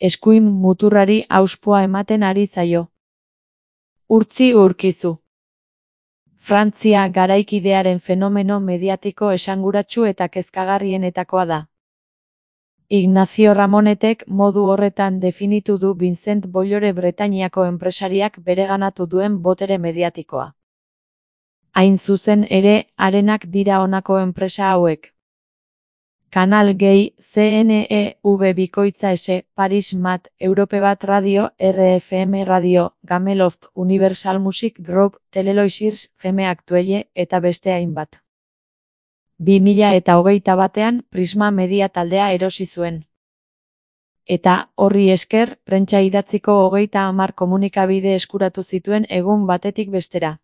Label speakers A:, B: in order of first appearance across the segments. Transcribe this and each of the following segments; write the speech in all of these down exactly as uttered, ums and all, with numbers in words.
A: eskuin muturrari auspoa ematen ari zaio. Urtzi urkizu. Frantzia garaikidearen fenomeno mediatiko esanguratsu eta kezkagarrienetakoa da. Ignacio Ramonetek modu horretan definitu du Vincent Bollore Bretainiako enpresariak bereganatu duen botere mediatikoa. Hain zuzen ere, harenak dira honako enpresa hauek. Canal Gay, C N E V Bikoitza S, Paris Mat, Europe Bat Radio, R F M Radio, Gameloft, Universal Music Group, Teleloisirs, Feme Aktuelle, eta beste hainbat. bi mila eta hogeita batean Prisma Media taldea erosi zuen. Eta, horri esker, prentsa idatziko hogeita hamar komunikabide eskuratu zituen egun batetik bestera.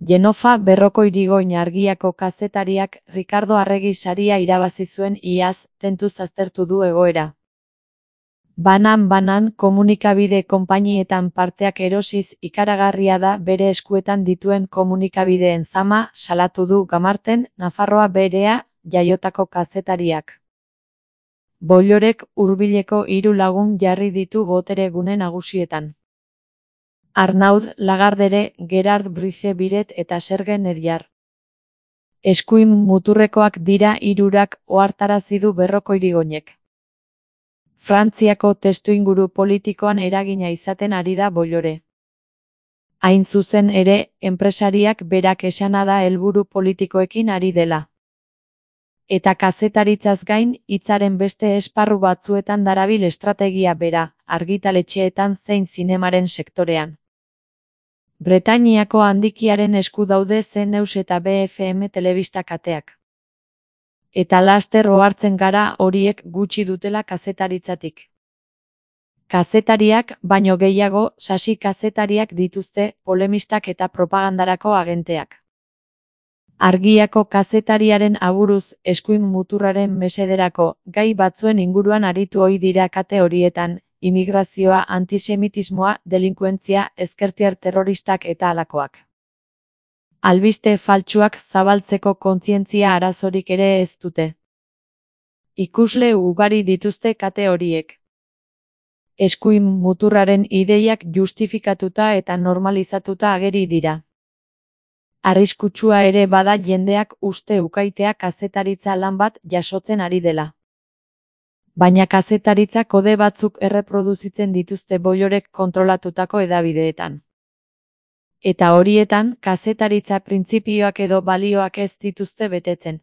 A: Genofa Berroko Irigoyen Argiako kazetariak Ricardo Arregi saria irabazi zuen iaz, tentuz aztertu du egoera. Banan-banan komunikabide konpainietan parteak erosiz ikaragarria da bere eskuetan dituen komunikabideen zama, salatu du Gamarten, Nafarroa berea, jaiotako kazetariak. Bollorek hurbileko hiru lagun jarri ditu botere gune nagusietan. Arnaud Lagardere, Gerard Brice Biret eta Serge Nediar. Eskuin muturrekoak dira hirurak ohartarazi du Berroko Irigoyenek. Frantziako testuinguru politikoan eragina izaten ari da Bollore. Hain zuzen ere, enpresariak berak esana da helburu politikoekin ari dela. Eta kazetaritzaz gain, hitzaren beste esparru batzuetan darabil estrategia bera, argitaletxeetan zein zinemaren sektorean. Bretainiako handikiaren esku daude C News eta B F M telebista kateak. Eta laster ohartzen gara horiek gutxi dutela kazetaritzatik. Kazetariak, baino gehiago, sasi kazetariak dituzte, polemistak eta propagandarako agenteak. Argiako kazetariaren aburuz, eskuin muturraren mesederako, gai batzuen inguruan aritu ohi dira kate horietan, imigrazioa, antisemitismoa, delinkuentzia, ezkertiar terroristak eta halakoak. Albiste faltsuak zabaltzeko kontzientzia arazorik ere ez dute. Ikusle ugari dituzte kate horiek. Eskuin muturraren ideiak justifikatuta eta normalizatuta ageri dira. Arriskutsua ere bada jendeak uste ukaitea kazetaritza lan bat jasotzen ari dela. Baina kazetaritza kode batzuk erreproduzitzen dituzte Bollorek kontrolatutako hedabideetan. Eta horietan, kazetaritza printzipioak edo balioak ez dituzte betetzen.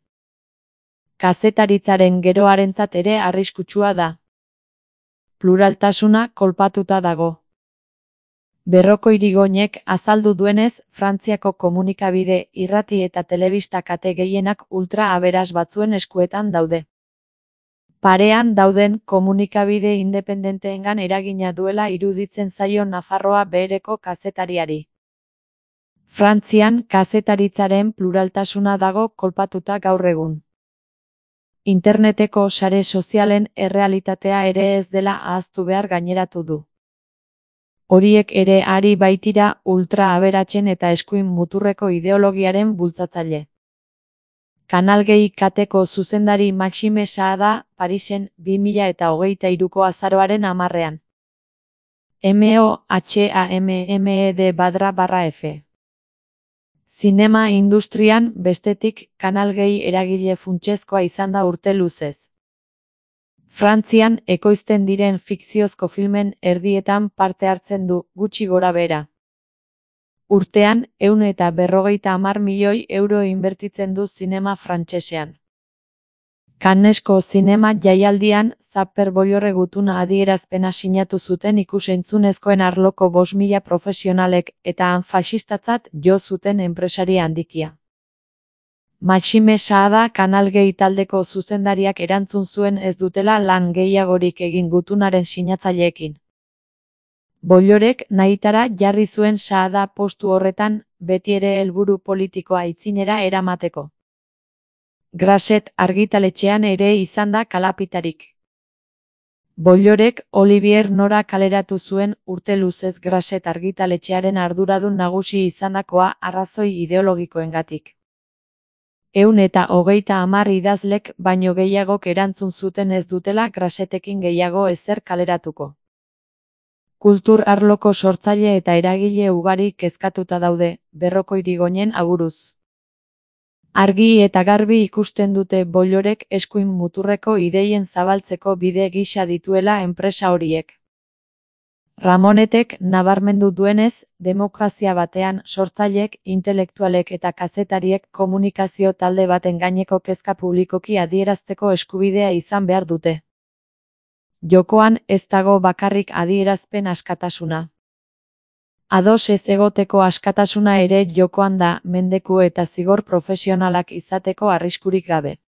A: Kazetaritzaren geroarentzat ere arriskutsua da. Pluraltasuna kolpatuta dago. Berroko Irigoyenek azaldu duenez, Frantziako komunikabide, irrati eta telebista kate gehienak ultra aberas batzuen eskuetan daude. Parean dauden komunikabide independenteengan eragina duela iruditzen zaio Nafarroa behereko kazetariari. Frantzian kazetaritzaren pluraltasuna dago kolpatuta gaur egun. Interneteko sare sozialen errealitatea ere ez dela ahaztu behar gaineratu du. Horiek ere ari baitira ultra aberatsen eta eskuin muturreko ideologiaren bultzatzaile. Canal Gay kateko zuzendari Maxime Saada, Parisen, bi mila eta hogeita hiruko azaroaren hamarrean. M O H A M M E D Badra barra F. Zinema industrian, bestetik, Canal Gay eragile funtsezkoa izan da urte luzez. Frantzian, ekoizten diren fikziozko filmen erdietan parte hartzen du, gutxi gora bera. Urtean, ehun eta berrogeita hamar milioi euro inbertitzen du zinema frantsesean. Cannesko zinema jaialdian, Zapper Bollorre gutuna adierazpena sinatu zuten ikus-entzunezkoen arloko bost mila profesionalek eta han faxistatzat jo zuten enpresari handikia. Maxime Saada Canal Gay taldeko zuzendariak erantzun zuen ez dutela lan gehiagorik egin gutunaren sinatzaileekin. Bollorek nahitara jarri zuen Saada postu horretan, beti ere helburu politikoa aitzinera eramateko. Grasset argitaletxean ere izan da kalapitarik. Bollorek Olivier Nora kaleratu zuen urte luzez Grasset argitaletxearen arduradun nagusi izandakoa arrazoi ideologikoengatik. Ehun eta hogeita hamar idazlek baino gehiagok erantzun zuten ez dutela Grasetekin gehiago ezer kaleratuko. Kultur arloko sortzaile eta eragile ugari kezkatuta daude, Berroko Irigoyen aburuz. Argi eta garbi ikusten dute Bollorek eskuin muturreko ideien zabaltzeko bide gisa dituela enpresa horiek. Ramonetek nabarmendu duenez, demokrazia batean sortzaileek, intelektualek eta kazetariek komunikazio talde baten gaineko kezka publikoki adierazteko eskubidea izan behar dute. Jokoan ez dago bakarrik adierazpen askatasuna. Ados ez egoteko askatasuna ere jokoan da, mendeku eta zigor profesionalak izateko arriskurik gabe.